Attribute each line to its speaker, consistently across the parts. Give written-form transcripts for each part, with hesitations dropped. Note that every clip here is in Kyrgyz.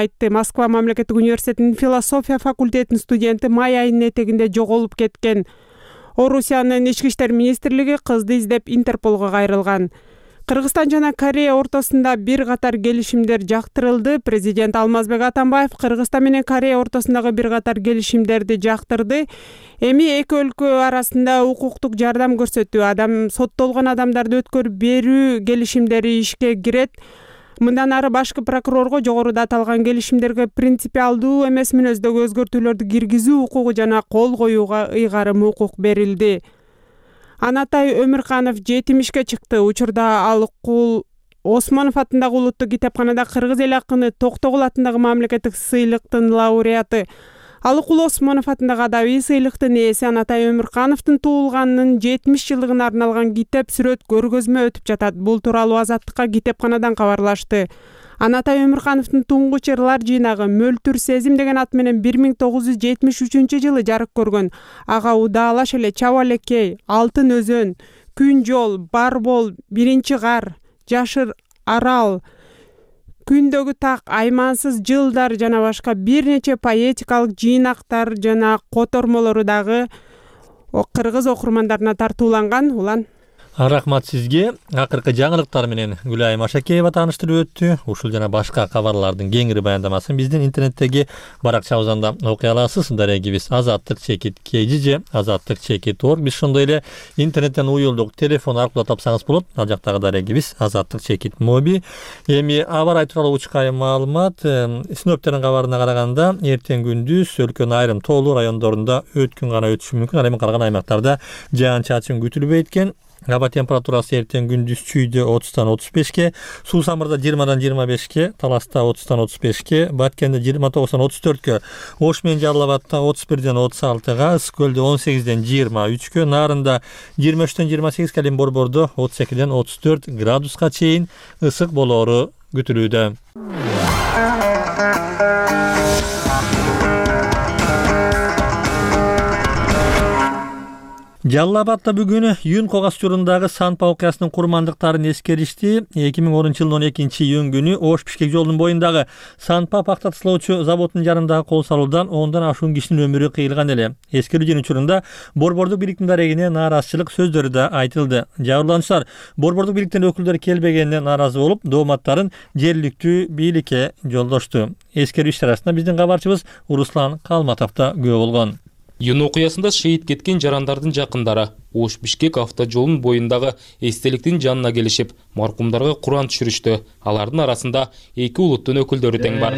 Speaker 1: айтты. Москва мамлекеттик университетинин философия факультетинин студенти май айынын этегинде жоголуп кеткен. Орусиянын ички иштер министрлиги кызды издеп Интерполго кайрылган. Кыргызстан жана Корея ортосунда бир катар келишимдер жактырылды. Президент Алмазбек Атамбаев Кыргызстан менен Корея ортосундагы бир катар келишимдерди жактырды. Эми эки өлкө арасында укуктук жардам көрсөтүү, соттолгон адамдарды өткөрүп берүү келишимдери ишке кирет. Мындан ары башкы прокурорго жогоруда аталган келишимдерге принципиалдуу эмес мүнөздөгү өзгөртүүлөрдү киргизүү укугу жана кол коюуга ыйгарым укук берилди. Анатай Өмүрканов 70 чыкты. Учурда Алыкул Осмонов атындагы улуттук китепканада кыргыз эл акыны Токтогул атындагы мамлекеттик сыйлыктын лауреаты. Алыкул Осмонов атындагы адабий сыйлыктын ээси Анатай Өмүркановдун туулганынын 70 жылдыгына арналган китеп сүрөт көргөзмө өтүп жатат. Бул тууралуу Азаттыкка китепканадан кабарлашты. Анатай Өмүркановдун туңгуч ырлар жыйнагы Мөлтүр сезим деген ат менен 1973 жарык көргөн. Ага Удаалаш эле, Чаба элекей, Алтын өзөн, Күн жол, Барбол, Биринчи кар, Жашыр арал, Күндөгү так, Аймансыз жылдар жана башка бир нече поэтикалык жыйнактар жана котормолору дагы кыргыз окурмандарына тартууланган. Улан
Speaker 2: Рахмат сизге. Акыркы жаңылыктар менен Гүлайым Ашакеева тааныштырып өттү. Ушул жана башка кабарлардын кеңири баяндамасын биздин интернеттеги баракчабыздан окуй аласыз. Дарегибиз Азаттык чекит KGJ, Азаттык чекит org. Биз ошондой эле интернеттен уюлдук телефон аркылуу тапсаңыз болот. Ал жактагы дарегибиз Азаттык чекит моби. Эми аба ырайы тууралуу учкай маалымат. Синоптиктердин кабарына караганда эртең күндүз өлкөнүн айрым тоолуу райондорунда өткүн гана өтүшү мүмкүн. Ал эми калган аймактарда жаан-чачын күтүлбөйт экен. Аба температурасы эртең күндүз Чүйдө 30-тан 35ке, Суусамырда 20-дан 25ке, Таласта 30-тан 35ке, Баткенде 29-тан 34ке, Ош менен Жалал Абадта 31-ден 36га, Ысык көлдө 18-ден 23ке, Нарында 23-тен 28ке, ал эми Борбордо 32-ден 34 градуска чейин ысык болоору күтүлүүдө. Жалал Абадта бүгүн Юнко газ жолундагы Санпа окуясынын курмандыктарын эскеришти. 2010-жылдын 12-июнь күнү Ош-Бишкек жолунун боюндагы Санпа пакта тасалоочу заводунун жанындагы кол салуудан 10дан ашуун кишинин өмүрү кыйылган эле. Эскерүүнүн учурунда Борбордук бийликтин дарегине нааразычылык сөздөрү да айтылды. Жабырлануучулар Борбордук бийликтин өкүлдөрү келбегенине нааразы болуп, дооматтарын жергиликтүү бийликке жолдошту. Эскерүү иш-чарасында биздин кабарчыбыз Руслан Калматов да күбө болгон.
Speaker 3: Юн окуясында шейит кеткен жарандардын жакындары Ош-Бишкек автожолунун боюндагы эстеликтин жанына келишип, маркумдарга Куран түшүрүштү. Алардын арасында эки улуттун өкүлдөрү тең бар.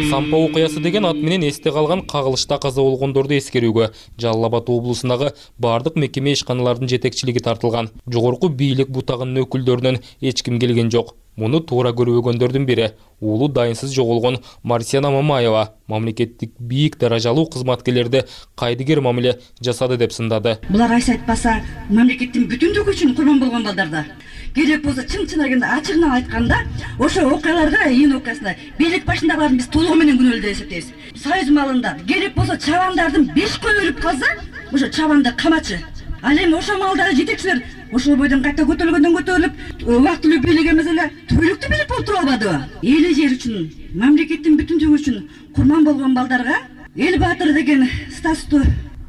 Speaker 3: Санпа окуясы деген ат менен эсте калган кагылышта каза болгондорду эскерүүгө Жалал Абад облусундагы бардык мекеме ишканалардын жетекчилиги тартылган. Жогорку бийлик бутагынын өкүлдөрүнөн эч ким келген жок. Муну туура көрбөгөндөрдүн бири уулу дайынсыз жоголгон Марсияна Мамаева мамлекеттик бийик даражалуу кызматкерлерди кайдыгер мамиле жасады деп сындады.
Speaker 4: Булар айса айтпаса мамлекеттин бүтүндүгү үчүн курман болгон балдарда. Керек болсо чын агында ачыгынан айтканда, ошо окуяларга Юн окуясында бийлик башындагылардын биз толугу менен күнөөлүү деп эсептейбиз. Союз малында керек болсо чабандардын 5 кой өлүп калса, ошо чабанды камачы. Ал эми ошо малдагы жетекчилер ошол бойдон кайта көтөрүлүп, убактылуу бийлик эмес эле түбөлүктүү бийлик болуп туруп албадыбы? Эли жер үчүн, мамлекеттин бүтүндүгү үчүн курман болгон балдарга эл баатыры деген статусту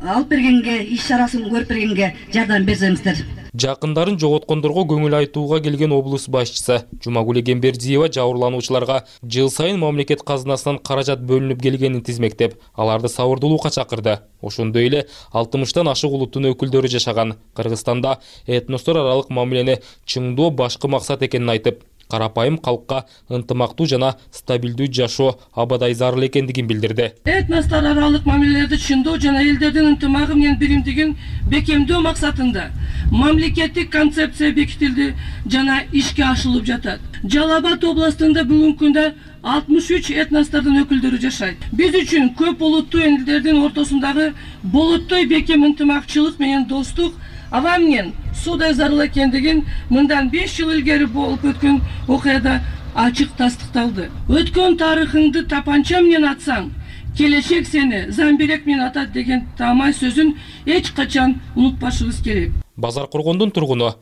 Speaker 4: алып бергенге, иш-чарасын көрүп бергенге жардам берсеңиздер.
Speaker 3: Жакындарын жоготкондорго көңүл айтууга келген облус башчысы Жумагүл Эгембердиева жабырлануучуларга жыл сайын мамлекет казынасынан каражат бөлүнүп келгенин тизмектеп, аларды сабырдуулукка чакырды. Ошондой эле 60тан ашык улуттун өкүлдөрү жашаган Кыргызстанда этностор аралык мамилени чыңдоо башкы максат экенин айтып, карапайым калкка ынтымактуу жана стабилдүү жашоо абадай зарыл экендигин билдирди.
Speaker 5: Этностор аралык мамилелерди чыңдоо жана элдердин ынтымагы менен биримдигин бекемдөө максатында мамлекеттик концепция бекитилди жана ишке ашырылып жатат. Жалал Абад областында бүгүнкү күндө 63 этностордун өкүлдөрү жашайт. Биз үчүн көп улуттуу элдердин ортосундагы болоттой бекем ынтымакчылык менен достук аба менен суудай зарыл экендигин мындан 5 жыл илгери болуп өткөн окуяда ачык тастыкталды. Өткөн тарыхыңды тапанча менен атсаң, келечек сени замбирек менен атат деген таамай сөзүн эч качан унутпашыбыз керек.
Speaker 3: Базар Коргондун тургуну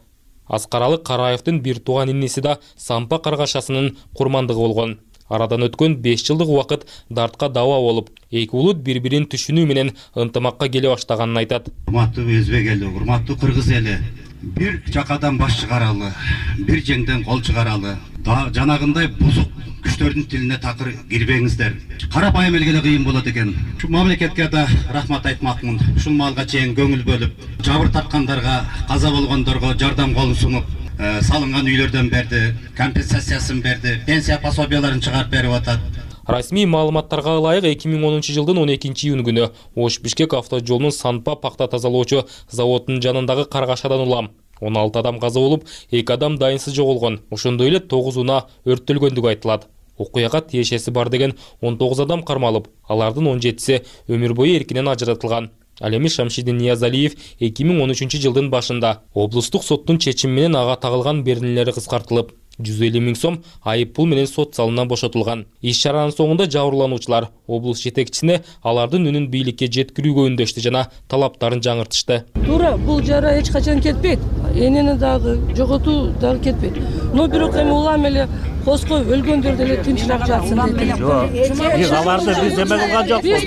Speaker 3: Аскаралы Караевдин бир тууган иниси да сампа каргашасынын курмандыгы болгон. Арадан өткөн 5 жылдык убакыт дартка даба болуп, эки улут бири-бирин түшүнүү менен ынтымакка келе баштаганын айтат.
Speaker 6: Урматтуу өзбек эли, урматтуу кыргыз эли, бир жакадан баш чыгаралы, бир жеңден кол чыгаралы. Жанагындай бузук күчтөрдүн тилине такыр кирбеңиздер. Карапайым элге да кыйын болот экен. Ушул мамлекетке да рахмат айтмакмын. Ушул маалга чейин көңүл бөлүп, жабыр тарткандарга, каза болгондорго жардам колун сунуп, салынган үйлөрдөн берди, компенсациясын берди, пенсия пособияларын чыгарып берип атат.
Speaker 3: Расмий маалыматтарга ылайык 2010 жылдын 12-июнь күнү Ош-Бишкек автожолунун Санпа пакта тазалоочу заводунун жанындагы каргашадан улам 16 адам каза болуп, 2 адам дайынсыз жоголгон. Ошондой эле 9 унаа өрттөлгөндүгү айтылат. Окуяга тиешеси бар деген 19 адам кармалып, алардын 17си өмүр бою эркинен ажыратылган. Ал эми Шамшидин Ниязалиев 2013 жылдын башында облустук соттун чечими менен ага тагылган беренелери кыскартылып, 150 000 сом айып пул менен сот залынан бошотулган. Иш чаранын соңунда жабырлануучулар облус жетекчисине алардын үнүн бийликке жеткирүүгө үндөштү жана талаптарын жаңыртышты.
Speaker 5: Туура, бул жара эч качан кетпейт. Энени дагы жоготуу дагы кетпейт. Но бирок эми улам эле коской өлгөндөр деле тынчыраак жатсын дейт.
Speaker 7: Биз аларды биз эме кылган жокпуз.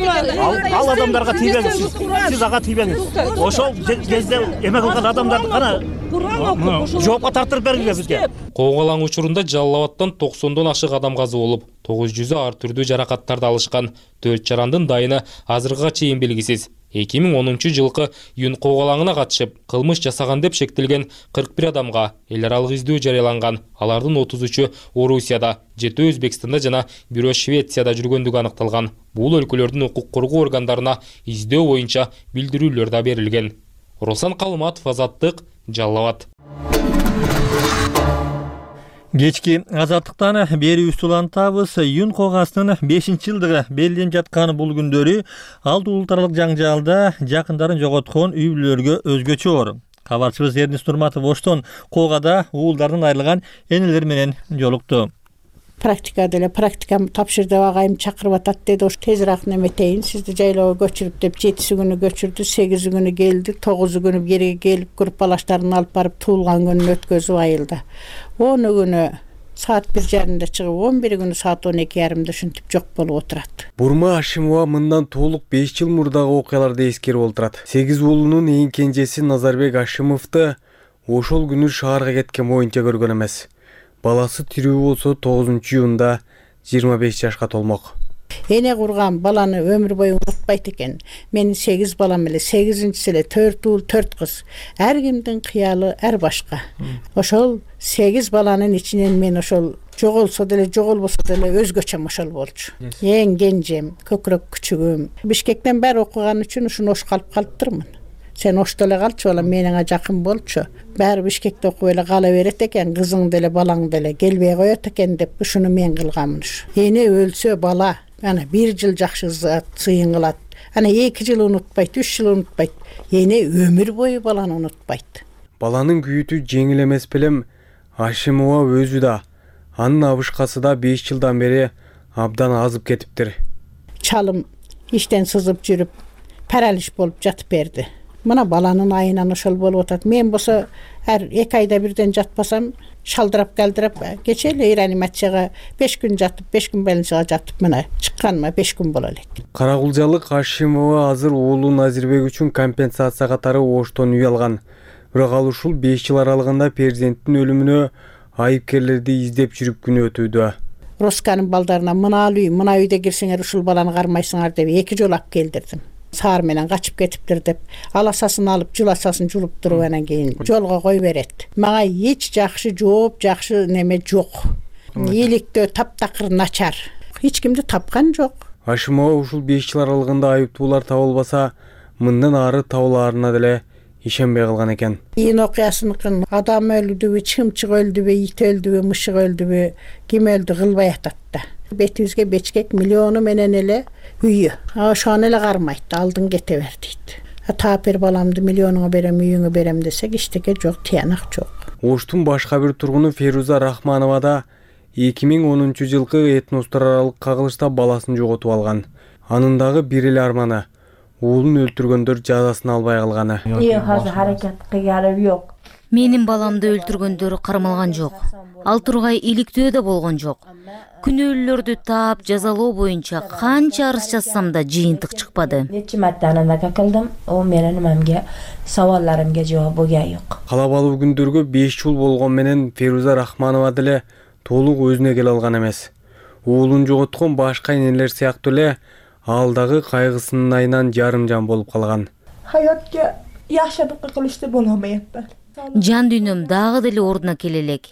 Speaker 7: Ал адамдарга тийбеңиз. Сиз ага тийбеңиз. Ошол кезде эме кылган адамдарды кана жоопко тартырып бергиле бизге.
Speaker 3: Коогалаң учурунда Жалал Абадтан 90дон ашык адам каза болуп, 900 ар түрдүү жаракаттарды алышкан. 4 жарандын дайыны азыркыга чейин белгисиз. 2010 жылкы июнь коогалаңына катышып, кылмыш жасаган деп шектелген 41 адамга эл аралык издөө жарыяланган. Алардын 33-ü Орусияда, 7-ü Өзбекстанда жана 1-ü Швецияда жүргөндүгү аныкталган. Бул өлкөлөрдүн укук коргоо органдарына издөө боюнча билдирүүлөр да берилген. Руслан Калыматов, Азаттык, Жалал Абад.
Speaker 2: Кечки азаттыктан берүүбүздү улантабыз. Июнь коогаасынын 5-жылдыгы белгиленип жаткан бул күндөрү алты улут аралык жаңжалда жакындарын жоготкон үй бүлөлөргө өзгөчө оор. Кабарчыбыз Эрнис Нурматов Оштон коогада уулдарынан айрылган энелер менен жолукту.
Speaker 8: Практика деле практикамды тапшыр деп агайым чакырып атат деди. Ош тезирээк неметейин, сизди жайлоого көчүрүп деп 7 күнү көчүрдү, 8 күнү келди, 9 күнү жерге келип группалаштарын алып барып туулган күнүн өткөзүп айылда. 10 күнү саат 1:30 чыгып, 11 күнү саат 12:30 ушинтип жок болуп отурат.
Speaker 9: Бурма Ашимова мындан толук 5 жыл мурдагы окуяларды эскерип олтурат. 8 уулунун эң кенжеси Назарбек Ашимовду ошол күнү шаарга кеткен боюнча көргөн эмес. Баласы тирүү болсо 9-июнда 25 жашка толмок.
Speaker 8: Эне курган баланы өмүр бою унутпайт экен. Менин 8 балам эле, 8-инчиси эле 4 уул, 4 кыз. Ар кимдин кыялы ар башка. Ошол 8 баланын ичинен мен ошол жоголсо деле, жоголбосо деле өзгөчөм ошол болчу. Эң кенжем, көкүрөк күчүгүм. Бишкектен баары окуган үчүн ушуну Ошко алып калыптырмын. Сен Ошто эле калчу, балам, мениңе жакын болчу. Баары Бишкекте окуп эле кала берет экен, кызың деле, балаң деле келбей коет экен деп ушуну мен кылганмын. Эне өлсө бала, ана 1 жыл жакшы сыйын кылат. Ана 2 жыл унутпайт, 3 жыл унутпайт. Эне өмүр бою баланы унутпайт.
Speaker 9: Баланын күйүтү жеңил эмес белем. Ашимова өзү да, анын абышкасы да 5 жылдан бери абдан азып кетиптир.
Speaker 8: Чалым иштен сызып жүрүп, паралич болуп жатып берди. Мына баланын айынан ошол болуп атат. Мен болсо ар 2 айда бирден жатпасам, шалдырап калдырап, кече эле реанимацияга 5 күн жатып, 5 күн больницага жатып, мына чыкканыма 5 күн боло элек.
Speaker 9: Карагулжалык Ашимова азыр уулу Назирбек үчүн компенсация катары Оштон үй алган. Бирок ал ушул 5 жыл аралыгында перзенттин өлүмүнө айыпкерлерди издеп жүрүп күнөө өтүүдө.
Speaker 8: Росканын балдарына мына үйдө кирсеңер ушул баланы кармайсыңар деп 2 жолу алып келдирдим. Саар менен качып кетиптир деп, аласасын алып, жуласасын жулуп туруп анан кийин жолго кой берет. Мага эч жакшы жооп, жакшы неме жок. Иликтөө таптакыр начар. Эч кимди тапкан жок.
Speaker 9: Ашимова ушул 5 жыл аралыгында айыптуулар табылбаса, мындан ары табылаарына деле ишенбей калган экен.
Speaker 8: Июнь окуясыныкын адам өлдүбү, чымчык өлдүбү, ит өлдүбү, мышык өлдүбү, ким өлдү кылбай атат да. Бетибизге Бечкек миллиону менен эле үйү. Ошону эле кармайт, алдын кете бер дейт. Таап бер баламды, миллионуңа берем, үйүңө берем десек, иштеке жок, тыянак жок.
Speaker 9: Оштун башка бир тургуну Феруза Рахманова да 2010 жылкы этностор аралык кагылышта баласын жоготуп алган. Анын дагы бир эле арманы уулун өлтүргөндөр жазасын албай калганы.
Speaker 10: Азыр харакат кылганы жок. Менин баламды өлтүргөндөр кармалган жок. Ал тургай иликтөө да болгон жок. Күнөөлүүлөрдү таап жазалоо боюнча канча арыз жазсам да жыйынтык чыкпады.
Speaker 11: Нече марта анандaka кылдым, о менин мамге сабалларымга жооп болгон жок.
Speaker 9: Калабалуу күндөргө 5 жыл болгон менен Феруза Рахманова деле толук өзүнө келе алган эмес. Уулун жоготкон башка энелер сыяктуу эле ал дагы кайгысынын айынан жарым жан болуп калган.
Speaker 11: Hayatga yaxshilik qilishni bo'lmayapman.
Speaker 10: Жан дүйнөм дагы деле ордуна келе элек.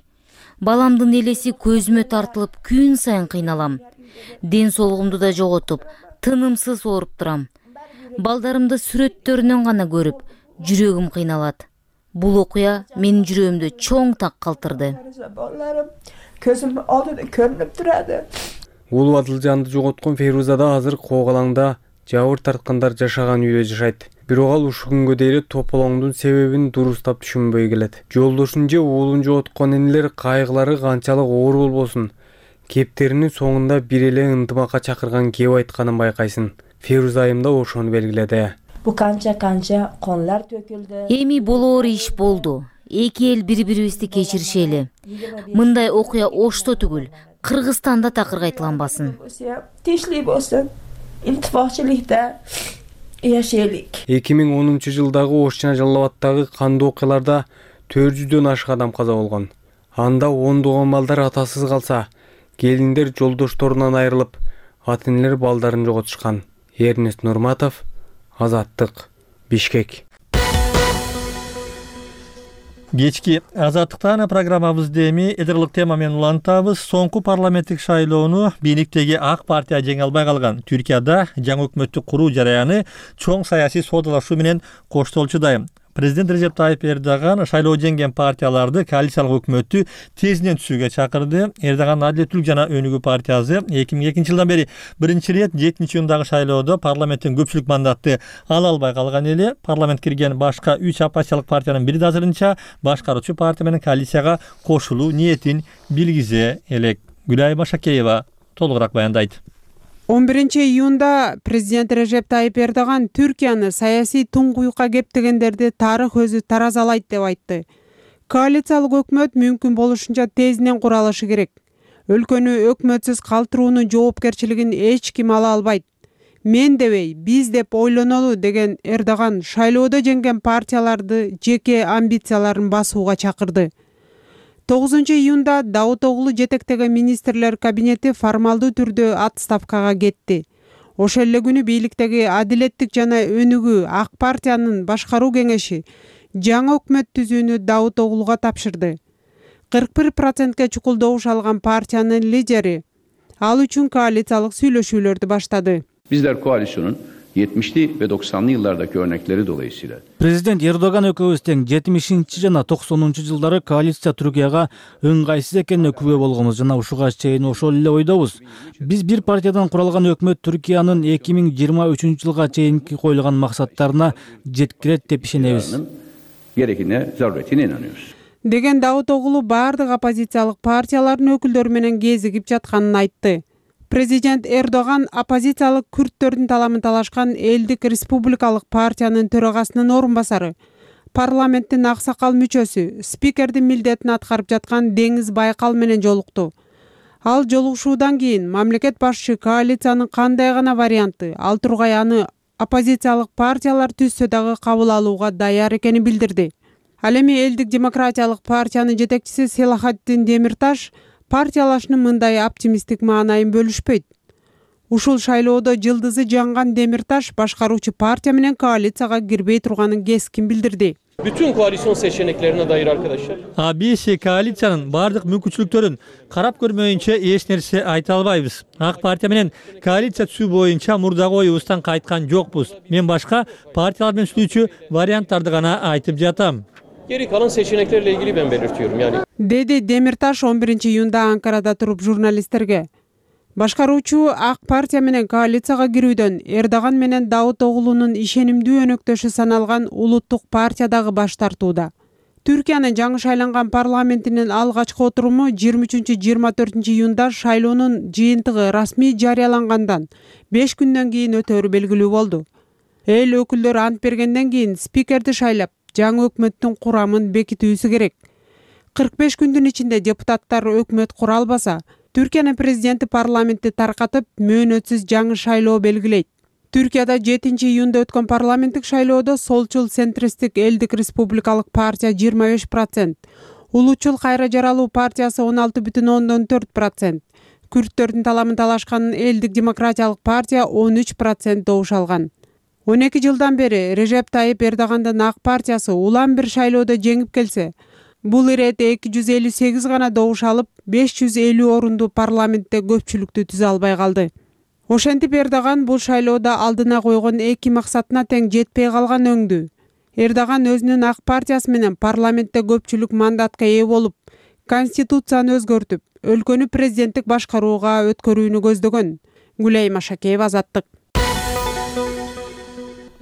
Speaker 10: Баламдын элеси көзүмө тартылып күн сайын кыйналам. Ден соолугумду да жоготуп, тынымсыз ооруп турам. Балдарымды сүрөттөрүнөн гана көрүп, жүрөгүм кыйналат. Бул окуя менин жүрөгүмдү чоң так калтырды.
Speaker 11: Көзүм алдыда көрүнүп турады.
Speaker 9: Уулу Адылжанды жоготкон Феруза да азыр Коогалаңда жабыр тарткандар жашаган үйдө жашайт. Бирок ал ушул күнгө дейин тополоңдун себебин дурустап түшүнбөй келет. Жолдошун же уулун жоготкон энелер кайгылары канчалык оор болбосун, кептеринин соңунда бир эле ынтымакка чакырган кеп айтканын байкайсың. Феруза айым да ошону белгиледи.
Speaker 11: Бу канча конлар төкүлдү.
Speaker 10: Эми болоор иш болду. Эки эл бири-бирибизди кечиришели. Мындай окуя Ошто түгүл, Кыргызстанда такыр кайталанбасын.
Speaker 11: Тишлей болсун. Илтифакчылыкта яшайлык.
Speaker 9: 2010-жылдагы Ош жана Жалал Абаддагы кандуу окуяларда 400дөн ашык адам каза болгон. Анда ондогон балдар атасыз калса, келиндер жолдошторунан айрылып, ата-энелер балдарын жоготушкан. Эрнест Нурматов, Азаттык, Бишкек.
Speaker 2: Кечки Азаттыктан программабызды эми эдерлик тема менен улантабыз. Соңку парламенттик шайлоону бийликтеги ак партия жеңе албай калган. Түркияда жаңы өкмөттү куруу жараяны чоң саясий содалашуу менен коштолчудай. Президент Режеп Тайип Эрдоган шайлоо жеңген партияларды коалициялык өкмөттү тезинен түзүүгө чакырды. Эрдоган Адилеттүүлүк жана Өнүгүү партиясы 2002 жылдан бери биринчи ирет 7-июндагы шайлоодо парламенттин көпчүлүк мандатты ала албай калган эле. Парламент кирген башка 3 оппозициялык партиянын бири да азырынча башкаруучу партия менен коалицияга кошулуу ниетин билгизе элек. Гүлай Машакеева толугураак баяндайт.
Speaker 1: 11-июнда президент Режеп Тайип Эрдоган Түркияны саясий туңгуюкка кептегендерди тарых өзү таразалайт деп айтты. Коалициялык өкмөт мүмкүн болушунча тезинен куралышы керек. Өлкөнү өкмөтсүз калтыруунун жоопкерчилигин эч ким ала албайт. Мен дебей, биз деп ойлонолу деген Эрдоган шайлоодо жеңген партияларды жеке амбицияларын басууга чакырды. 9-июнда Даутоглу жетектеген министрлер кабинети формалдуу түрдө отставкага кетти. Ошол эле күнү бийликтеги Адилеттик жана Өнүгүү ак партиянын башкаруу кеңеши жаңы өкмөт түзүүнү Даутоглуга тапшырды. 41%ке чукулдогуш алган партиянын лидери ал үчүн коалициялык сүйлөшүүлөрдү баштады.
Speaker 12: Bizler koalisyonun 70'li ve 90'lı yıllardaki örnekleri dolayısıyla.
Speaker 7: Президент Эрдоган экөөбүз тең 70 жана 90 жылдары коалиция Түркияга ыңгайсыз экенине күбө болгонбуз жана ушуга чейин ошол эле ойдобуз. Биз бир партиядан куралган өкмөт Түркиянын 2023 жылга чейинки коюлган максаттарына жеткирет деп ишенебиз.
Speaker 12: Gerekine zaruretine inanıyoruz.
Speaker 1: Деген Даутоглу бардык оппозициялык партиялардын өкүлдөрү менен кезигип жатканын айтты. Президент Эрдоган оппозициялык күрттөрдүн таламын талашкан Элдик Республикалык партиянын төрагасынын орун басары, парламенттин аксакал мүчөсү, спикердин милдетин аткарып жаткан Деңиз Байкал менен жолукту. Ал жолугушуудан кийин мамлекет башчы коалициянын кандай гана варианты, ал тургай аны оппозициялык партиялар түзсө дагы кабыл алууга даяр экенин билдирди. Ал эми Элдик демократиялык партиянын жетекчиси Селахаттин Демирташ партиялашынын мындай оптимисттик маанайын бөлүшпөйт. Ушул шайлоодо жылдызы жанган Демирташ башкаруучу партия менен коалицияга кирбей турганын кескин билдирди.
Speaker 13: Bütün koalisyon seçeneklerine dair arkadaşlar.
Speaker 2: Биз коалициянын бардык мүмкүнчүлүктөрүн карап көрмөйүнчө эч нерсе айта албайбыз. Ак партия менен коалиция түзүү боюнча мурдагы оюбуздан кайткан жокпуз. Мен башка партиялар менен түзүүчү варианттарды гана айтып жатам.
Speaker 13: Geri kalan seçeneklerle ilgili ben belirtiyorum yani.
Speaker 1: Dedi Демирташ 11-июнда Анкарада туруп журналисттерге. Башкаруучу ак партия менен коалицияга кирүүдөн Эрдоган менен Даутоглунун ишенимдүү өнөктөшү саналган Улуттук партия дагы баш тартууда. Түркиянын жаңы шайланган парламентинин алгачкы отуруму 23-24-июнда шайлоонун жыйынтыгы расмий жарыялангандан 5 күндөн кийин өтөрү белгилүү болду. Эл өкүлдөрү ант бергенден кийин спикерди шайлап, жаңы өкмөттүн курамын бекитүүсү керек. 45 күндүн ичинде депутаттар өкмөт кура албаса, Түркиянын президенти парламентти таркатып, мөөнөтсүз жаңы шайлоо белгилейт. Түркияда 7 июнда өткөн парламенттик шайлоодо солчул центристик Элдик республикалык партия 25%, Улуучул кайра жаралуу партиясы 16,4%, Күрттөрдүн таламын талашкан Элдик демократиялык партия 13% добуш алган. 12 жылдан бери Режеп Тайип Эрдогандын ак партиясы улам бир шайлоодо жеңип келсе, бул ирет 258 гана добуш алып, 550 орунду парламентте көпчүлүктү түзө албай калды. Ошентип Эрдоган бул шайлоодо алдына койгон 2 максатына тең жетпей калган өңдү. Эрдоган өзүнүн ак партиясы менен парламентте көпчүлүк мандатка ээ болуп, конституцияны өзгөртүп, өлкөнү президенттик башкарууга өткөрүүнү көздөгөн. Гүлай Машакеева, Азаттык.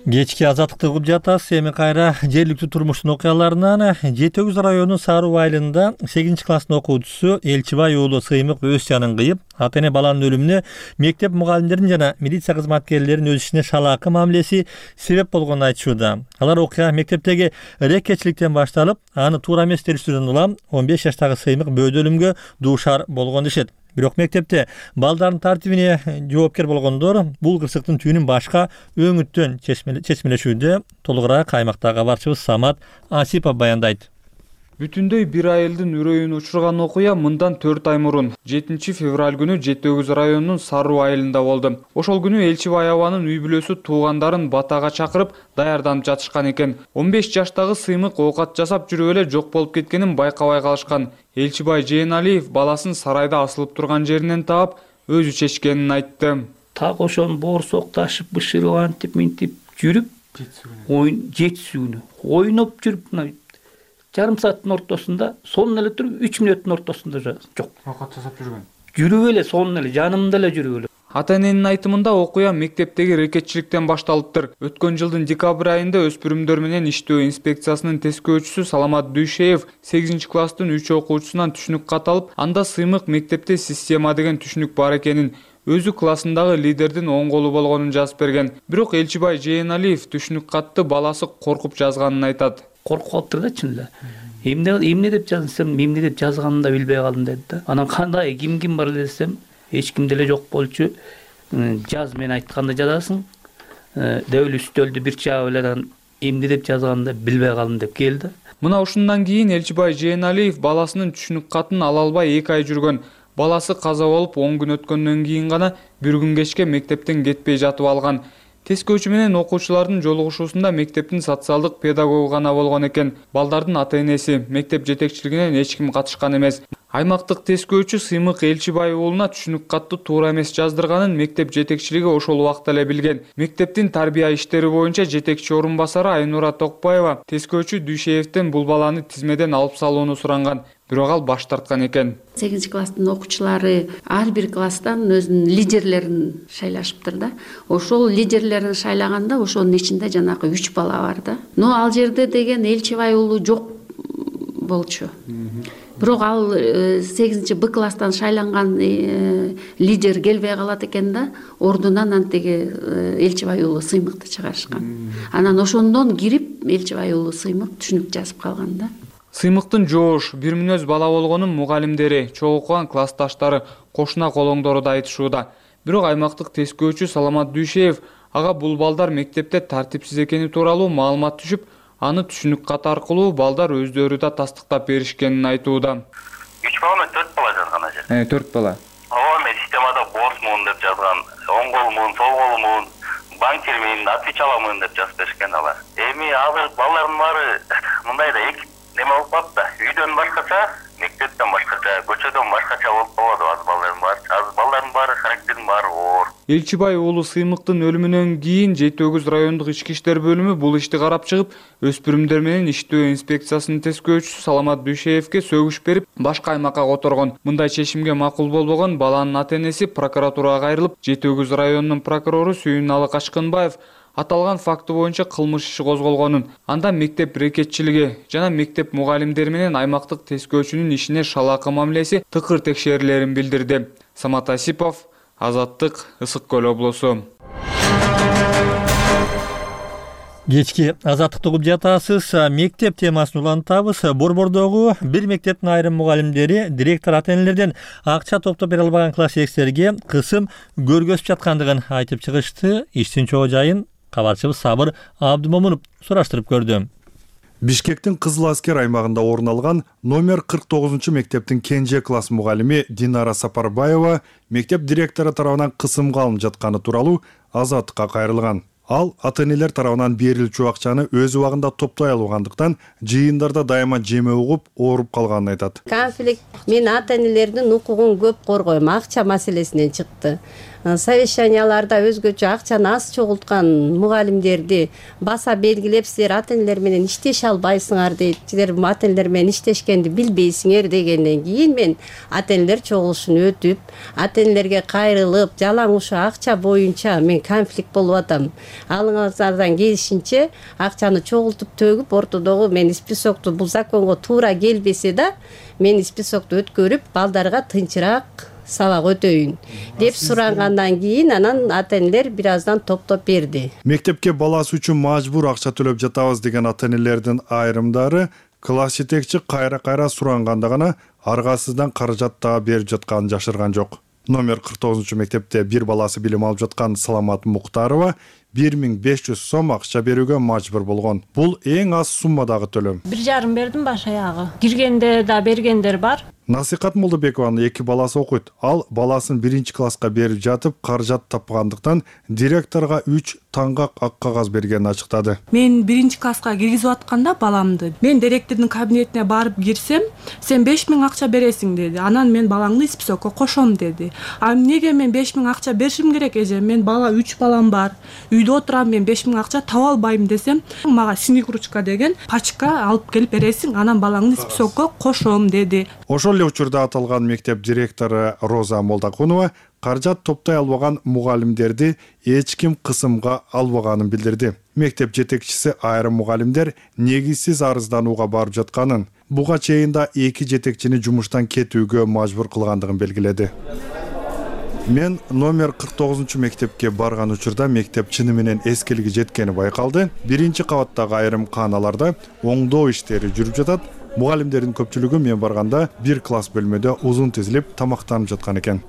Speaker 2: Кечки Азаттыкты угуп жатасыз. Эми кайра жергиликтүү турмуштун окуяларынан Жети Өгүз районунун Саруу айылында 8 класстын окуучусу Элчибай уулу Сыймык өз жанын кыйып, ата эне баланын өлүмүнө мектеп мугалимдеринин жана милиция кызматкерлеринин өз ишине шалаакы мамилеси себеп болгонун айтышууда. Алар окуя мектептеги рекетчиликтен башталып, аны туура эмес териштирүүдөн улам 15 жаштагы Сыймык бөөдө өлүмгө дуушар болгон дешет. Бирок мектепте балдардын тартибине жоопкер болгондор бул кырсыктын түйүнүн башка өңүттөн чечмелешүүдө. Толугураак аймактагы кабарчыбыз Самат Асипов баяндайт.
Speaker 14: Бүтүндөй бир айылдын үрөйүн учурган окуя мындан 4 ай мурун 7 февраль күнү Жети Өгүз районунун Саруу айылында болду. Ошол күнү Элчибай абанын үй бүлөсү туугандарын батага чакырып даярданып жатышкан экен. 15 жаштагы Сыймык оокат жасап жүрүп эле жок болуп кеткенин байкабай калышкан. Элчибай Жээналиев баласын сарайда асылып турган жеринен таап, өзү чечкенин айтты.
Speaker 15: Так ошон боорсок ташып, бышырып, антип минтип жүрүп, жетисү күнү ойноп жүрүп, жарым сааттын ортосунда, сонун эле туруп, 3 мүнөттүн ортосунда жок.
Speaker 14: Оокат жасап жүргөн.
Speaker 15: Жүрүп эле, сонун эле, жанымда эле жүрүп эле.
Speaker 14: Ата эненин айтымында окуя мектептеги рекетчиликтен башталыптыр. Өткөн жылдын декабрь айында өспүрүмдөр менен иштөө инспекциясынын тескөөчүсү Саламат Дүйшеев 8 класстын 3 окуучусунан түшүнүк кат алып, анда Сыймык мектепте система деген түшүнүк бар экенин, өзү классындагы лидердин оң колу болгонун жазып берген. Бирок Элчибай Жээналиев түшүнүк катты баласы коркуп жазганын айтат.
Speaker 15: Коркуп калыптыр да чын эле. Эмне деп жазсам, эмне деп жазганымды да билбей калдым деди да. Анан кандай ким бар десем, эч ким деле жок болчу. Жаз, мен айтканды жазасың. Деп эле үстөлдү бир чаап эле эмне деп жазганымды билбей калдым деп келди.
Speaker 14: Мына ушундан кийин Элчибай Жээналиев баласынын түшүнүк катын ала албай 2 ай жүргөн. Баласы каза болуп 10 күн өткөндөн кийин гана бир күн кечке мектептен кетпей жатып алган. Тескөөчү менен окуучулардын жолугушуусунда мектептин социалдык педагогу гана болгон экен. Балдардын ата энеси, мектеп жетекчилигинен эч ким катышкан эмес. Аймактык тескөөчү Сыймык Элчибай уулуна түшүнүк катты туура эмес жаздырганын мектеп жетекчилиги ошол убакта эле билген. Мектептин тарбия иштери боюнча жетекчи орун басары Айнура Токпаева тескөөчү Дүйшеевден бул баланы тизмеден алып салууну суранган. Бирок ал баш тарткан экен.
Speaker 16: 8 класстын окуучулары ар бир класстан өзүнүн лидерлерин шайлашыптыр да. Ошол лидерлерин шайлаганда ошонун ичинде жанагы 3 бала бар да. Но ал жерде деген Элчибай уулу жок болчу. Бирок ал 8 Б класстан шайланган лидер келбей калат экен да, ордунан антиги Элчибай уулу Сыймыкты чыгарышкан. Анан ошондон кирип Элчибай уулу Сыймык түшүнүк жазып калган да.
Speaker 14: Сыймыктын жоош, бир мүнөз бала болгонун мугалимдери, чогуу окуган классташтары, кошуна колоңдору да айтышууда. Бирок аймактык тескөөчү Саламат Дүйшеев ага бул балдар мектепте тартипсиз экени тууралуу маалымат түшүп, аны түшүнүк кат аркылуу балдар өздөрү да тастыктап беришкенин айтууда.
Speaker 17: 3 бала эмес, 4 бала жазган ажер.
Speaker 14: 4 бала.
Speaker 17: Ооба, мен системада босмун деп жазган, оң колумун, сол колумун, банкирмин, отвечаламын деп жазып беришкен алар. Эми азыр балдардын баары мындай да неме болуп калды. Үйдөн башкача, мектептен башкача, көчөдөн башкача болуп калды азыр балдардын баары. Азыр балдардын баары характерин баары оор.
Speaker 14: Элчибай уулу Сыймыктын өлүмүнөн кийин Жети Өгүз райондук ички иштер бөлүмү бул ишти карап чыгып, өспүрүмдөр менен иштөө инспекциясынын тескөөчүсү Саламат Дүйшеевге сөгүш берип, башка аймакка которгон. Мындай чечимге макул болбогон баланын ата энеси прокуратурага кайрылып, Жети Өгүз районунун прокурору Сүйүналы Качкынбаев аталган факты боюнча кылмыш иши козголгонун, анда мектеп рекетчилиги жана мектеп мугалимдери менен аймактык тескөөчүнүн ишине шалаакы мамилеси тыкыр текшерилерин билдирди. Самат Асипов, Азаттык, Ысык Көл облусу.
Speaker 2: Кечки азаттыкты угуп жатасыз. Мектеп темасын улантабыз. Борбордогу бир мектептин айрым мугалимдери директор ата-энелерден акча топтоп бере албаган класстештерге кысым көргөзүп жаткандыгын айтып чыгышты. Иштин чоо жайын кабарчыбыз Сабыр Абдымомунов сураштырып көрдү.
Speaker 18: Бишкектин Кызыл Аскер аймагында орун алган номер 49 мектептин кенже класс мугалими Динара Сапарбаева мектеп директору тарабынан кысымга алынып жатканы тууралуу Азаттыкка кайрылган. Ал ата-энелер тарабынан берилчү акчаны өз убагында топтой албагандыктан жыйындарда дайыма жеме угуп, ооруп калганын айтат.
Speaker 19: Конфликт мен ата-энелердин укугун көп коргойм, акча маселесинен чыкты. Совещанияларда өзгөчө акчаны аз чогулткан мугалимдерди баса белгилеп, силер ата-энелер менен иштеше албайсыңар дейт. Силер ата-энелер менен иштешкенди билбейсиңер дегенден кийин мен ата-энелер чогулушун өтүп, ата-энелерге кайрылып, жалаң ушу акча боюнча мен конфликт болуп атам. Алыңыздардан келишинче акчаны чогултуп төгүп, ортодогу мен списокту бул законго туура келбесе да, мен списокту өткөрүп, балдарга тынчыраак сабак өтөйүн деп сурангандан кийин анан ата-энелер бир аздан топтоп берди.
Speaker 18: Мектепке баласы үчүн мажбур акча төлөп жатабыз деген ата-энелердин айрымдары класс жетекчи кайра суранганда гана аргасыздан каражат дагы берип жатканын жашырган жок. Номер 49 мектепте бир баласы билим алып жаткан Саламат Муктарова 1500 сом акча берүүгө мажбур болгон. Бул эң аз суммадагы төлөм.
Speaker 20: 1,5 бердим баш аягы. Киргенде да бергендер бар.
Speaker 18: Насихат Молдобекованын 2 баласы окуйт. Ал баласын 1-класска берип жатып, каражат тапкандыктан директорго 3 таңгак ак кагаз бергенин ачыктады.
Speaker 21: Мен 1-класска киргизип атканда баламды мен директордун кабинетине барып кирсем, сен 5000 акча бересиң деди. Анан мен балаңды списокко кошом деди. А эмнеге мен 5000 акча беришим керек эже? Мен бала 3 балам бар. Үйдө отурам, мен 5000 акча таба албайм десем, мага синик ручка деген пачка алып келип бересиң, анан балаңды списокко кошом деди.
Speaker 18: Ошол эле учурда аталган мектеп директору Роза Молдакунова каражат топтой албаган мугалимдерди эч ким кысымга албаганын билдирди. Мектеп жетекчиси айрым мугалимдер негизсиз арызданууга барып жатканын, буга чейин да 2 жетекчини жумуштан кетүүгө мажбур кылгандыгын белгиледи. Мен номер 49 мектепке барган учурда мектеп чыны менен эскилиги жеткени байкалды. 1-кабаттагы айрым кааналарда оңдоо иштери жүрүп жатат. Мугалимдердин көпчүлүгү мен барганда 1 класс бөлмөдө узун тизилип тамактанып жаткан экен.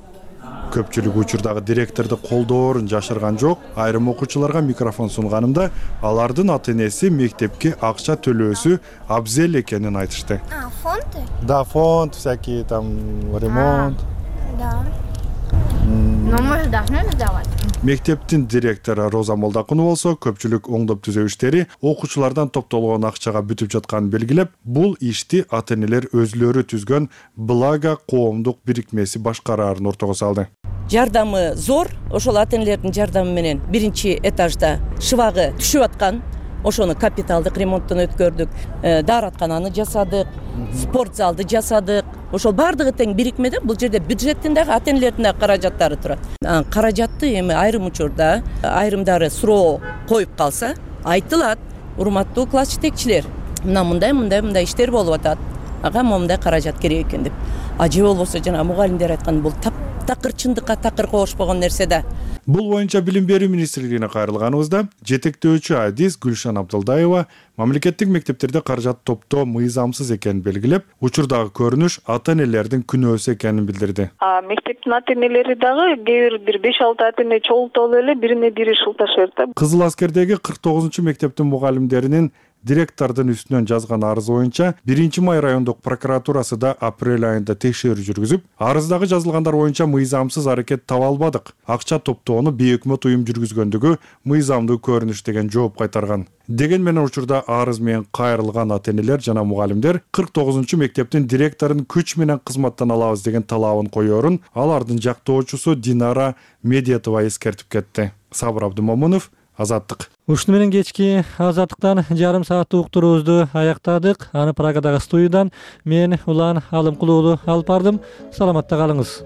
Speaker 18: Көпчүлүк учурдагы директорду колдоорун жашырган жок. Айрым окуучуларга микрофон сунганымда алардын ата-энеси мектепке акча төлөөсү абзел экенин айтышты.
Speaker 22: Фонды?
Speaker 18: Да, фонд, всякие там ремонт.
Speaker 22: Да. Но мы же должны сдавать.
Speaker 18: Мектептин директору Роза Молдакунова болсо көпчүлүк оңдоп түзөө иштери окуучулардан топтолгон акчага бүтүп жатканын белгилеп, бул ишти ата-энелер өзлөрү түзгөн Благо коомдук бирикмеси башкараарын ортого салды.
Speaker 23: Жардамы зор, ошол ата-энелердин жардамы менен 1-этажда шыбагы түшүп аткан. Ошону капиталдык ремонттон өткөрдүк, даараткананы жасадык, спорт залды жасадык. Ошол бардыгы тең бирикмеде, бул жерде бюджеттин дагы ата-энелердин дагы каражаттары турат. Каражатты эми айрым учурда айрымдары суроо коюп калса, айтылат, урматтуу класс жетекчилер, мындай иштер болуп атат. Ага момундай каражат керек экен деп. Же болбосо жана мугалимдер айткан бул такыр чындыкка такыр кошпогон нерсе да.
Speaker 18: Бул боюнча Билим берүү министрлигине кайрылганыбызда жетектөөчү адис Гүлшан Абдылдаева мамлекеттик мектептерде каражат топтоо мыйзамсыз экенин белгилеп, учурдагы көрүнүш ата-энелердин күнөөсү экенин билдирди.
Speaker 24: Мектептин ата-энелери дагы кээ бир 5-6 ата-эне чогултуп эле бирине бири шылташат да.
Speaker 18: Кызыл Аскердеги 49 мектептин мугалимдеринин директордун үстүнөн жазган арызы боюнча 1-май райондук прокуратурасы да апрель айында текшерүү жүргүзүп, арыздагы жазылгандар боюнча мыйзамсыз аракет таба албадык. Акча топтоону бейөкмөт уюм жүргүзгөндүгү мыйзамдуу көрүнүш деген жооп кайтарган. Деген менен учурда арыз менен кайрылган ата-энелер жана мугалимдер 49 мектептин директорун күч менен кызматтан алабыз деген талабын коёрун алардын жактоочусу Динара Медетова эскертип кетти. Сабыр Абдымомунов, Азаттык.
Speaker 2: Ушуну менен кечки Азаттыктан жарым сааттык уктуруубузду аяктадык. Аны Праgadагы студиядан мен Улан Алымкулуулу алып бардым. Саламатта калыңыз.